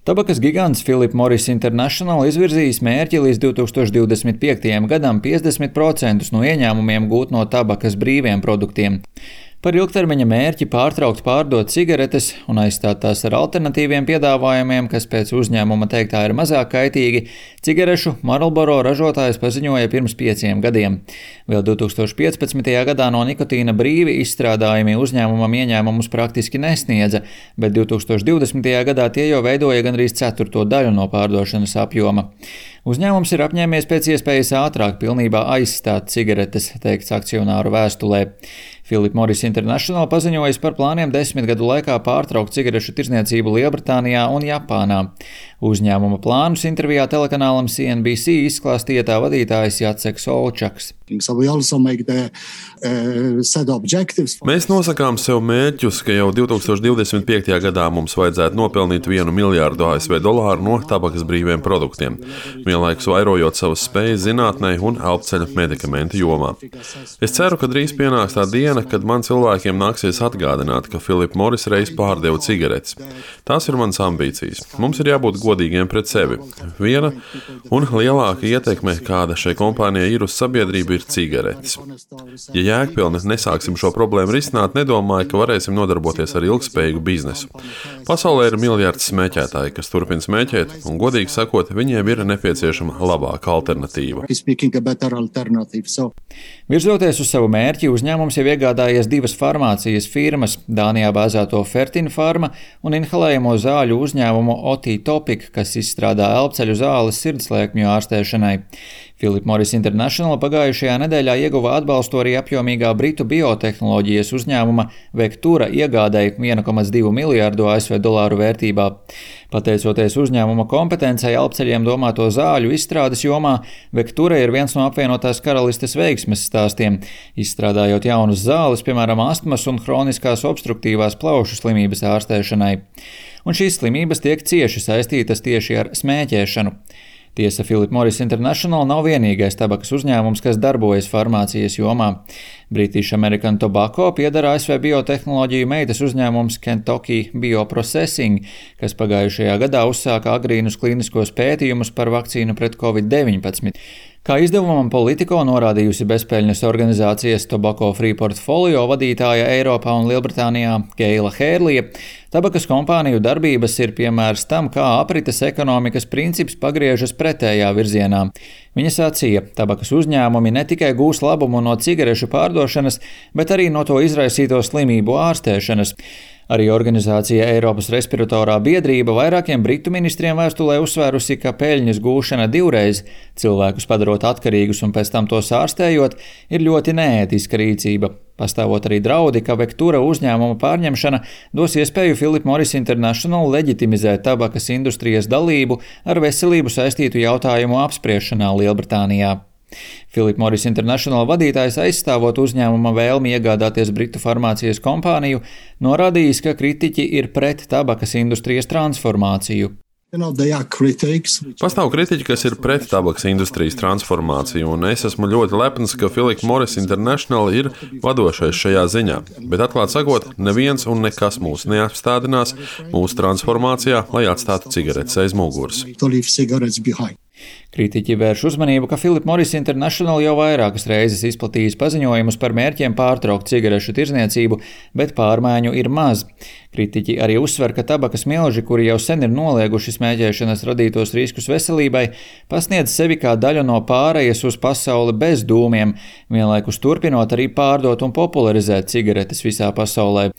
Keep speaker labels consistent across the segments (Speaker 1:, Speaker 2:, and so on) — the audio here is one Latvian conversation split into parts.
Speaker 1: Tabakas gigants Philip Morris International izvirzījis mērķi līdz 2025. gadam 50% no ieņēmumiem gūt no tabakas brīviem produktiem. Par ilgtermiņa mērķi pārtraukt pārdot cigaretes un aizstāt tās ar alternatīviem piedāvājumiem, kas pēc uzņēmuma teiktā ir mazāk kaitīgi, cigarešu Marlboro ražotājs paziņoja pirms 5 gadiem. Vēl 2015. gadā no nikotīna brīvi izstrādājumi uzņēmumam ieņēmumus praktiski nesniedza, bet 2020. gadā tie jau veidoja gandrīz 1/4 daļu no pārdošanas apjoma. Uzņēmums ir apņēmies pēc iespējas ātrāk pilnībā aizstāt cigaretes, teikts akcionāru vēstulē. Philip Morris International paziņojas par plāniem 10 gadu laikā pārtraukt cigarešu tirdzniecību Lielbritānijā un Japānā. Uzņēmuma plānus intervijā telekanālam CNBC izklāstīja tā vadītājs Jaceks Olčaks.
Speaker 2: Mēs nosakām sev mērķus, ka jau 2025. gadā mums vajadzētu nopelnīt $1 miljārdu ASV no tabakas brīviem produktiem, vienlaikus vairojot savas spējas zinātnē un elpceļa medikamentu jomā. Es ceru, ka drīz pienāks tā diena, kad man cilvēkiem nāksies atgādināt, ka Philip Morris reiz pārdeva cigaretes. Tās ir manas ambīcijas. Mums ir jābūt godīgiem pret sevi. Viena un lielāka ietekme, kāda šai kompānijai ir uz sabiedrību, ir cigaretes. Ja jēgpilni nesāksim šo problēmu risināt, nedomāju, ka varēsim nodarboties ar ilgspējīgu biznesu. Pasaulē ir miljards smēķētāji, kas turpina smēķēt, un godīgi sakot, viņiem ir nepieciešama labāka alternatīva.
Speaker 1: Virzoties uz savu mērķi, uzņēmums jau iegādājies 2 farmācijas firmas - Dānijā bāzēto Fertin Pharma un inhalējamo zāļu uzņēmumu OT Topic, kas izstrādā elpceļu zāles sirdslēkmju ārstēšanai. Philip Morris International pagājušajā nedēļā ieguva atbalstu arī apjomīgā britu biotehnoloģijas uzņēmuma Vectura iegādēji $1,2 miljārdu ASV vērtībā. Pateicoties uzņēmuma kompetencei elpceļiem domāto zāļu izstrādes jomā, Vectura ir viens no apvienotās karalistes veiksmes stāstiem, izstrādājot jaunas zāles, piemēram, astmas un hroniskās obstruktīvās plaušu slimības ārstēšanai. Un šīs slimības tiek cieši saistītas tieši ar smēķēšanu. Tiesa, Philip Morris International nav vienīgais tabakas uzņēmums, kas darbojas farmācijas jomā. British American Tobacco pieder ASV biotehnoloģiju meitas uzņēmums Kentucky Bioprocessing, kas pagājušajā gadā uzsāka agrīnus klīniskos pētījumus par vakcīnu pret Covid-19. Kā izdevumam Politico norādījusi bezpeļņas organizācijas Tobacco Free Portfolio vadītāja Eiropā un Lielbritānijā Keila Hērlija, tabakas kompāniju darbības ir piemērs tam, kā aprites ekonomikas princips pagriežas pretējā virzienā. Viņa sacīja, tabakas uzņēmumi ne tikai gūs labumu no cigarešu pārdošanas, bet arī no to izraisīto slimību ārstēšanas. Arī organizācija Eiropas respiratorā biedrība vairākiem britu ministriem vēstulē uzsvērusi, ka peļņas gūšana divreiz, cilvēkus padarot atkarīgus un pēc tam tos ārstējot, ir ļoti neētiska rīcība. Pastāvot arī draudi, ka Vectura uzņēmuma pārņemšana dos iespēju Philip Morris International leģitimizēt tabakas industrijas dalību ar veselību saistītu jautājumu apspriešanā Lielbritānijā. Philip Morris International vadītājs aizstāvot uzņēmuma vēlmi iegādāties britu farmācijas kompāniju, norādījis, ka kritiķi ir pret tabakas industrijas transformāciju.
Speaker 2: Pastāv kritiķi, kas ir pret tabakas industrijas transformāciju, un es esmu ļoti lepns, ka Philip Morris International ir vadošais šajā ziņā. Bet atklāt sakot, neviens un nekas mūs neapstādinās mūsu transformācijā, lai atstātu cigaretes aiz muguras.
Speaker 1: Kritiķi vērš uzmanību, ka Philip Morris International jau vairākas reizes izplatījis paziņojumus par mērķiem pārtraukt cigarešu tirdzniecību, bet pārmaiņu ir maz. Kritiķi arī uzsver, ka tabakas milži, kuri jau sen ir nolieguši smēķēšanas radītos riskus veselībai, pasniedz sevi kā daļu no pārejas uz pasauli bez dūmiem, vienlaikus turpinot arī pārdot un popularizēt cigaretes visā pasaulē.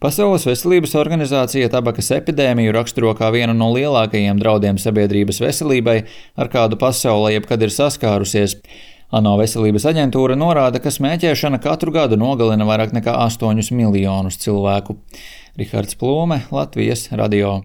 Speaker 1: Pasaules veselības organizācija tabakas epidēmiju raksturo kā vienu no lielākajiem draudiem sabiedrības veselībai, ar kādu pasaulē jebkad ir saskārusies. ANO veselības aģentūra norāda, ka smēķēšana katru gadu nogalina vairāk nekā 8 miljonus cilvēku. Rihards Plūme, Latvijas radio.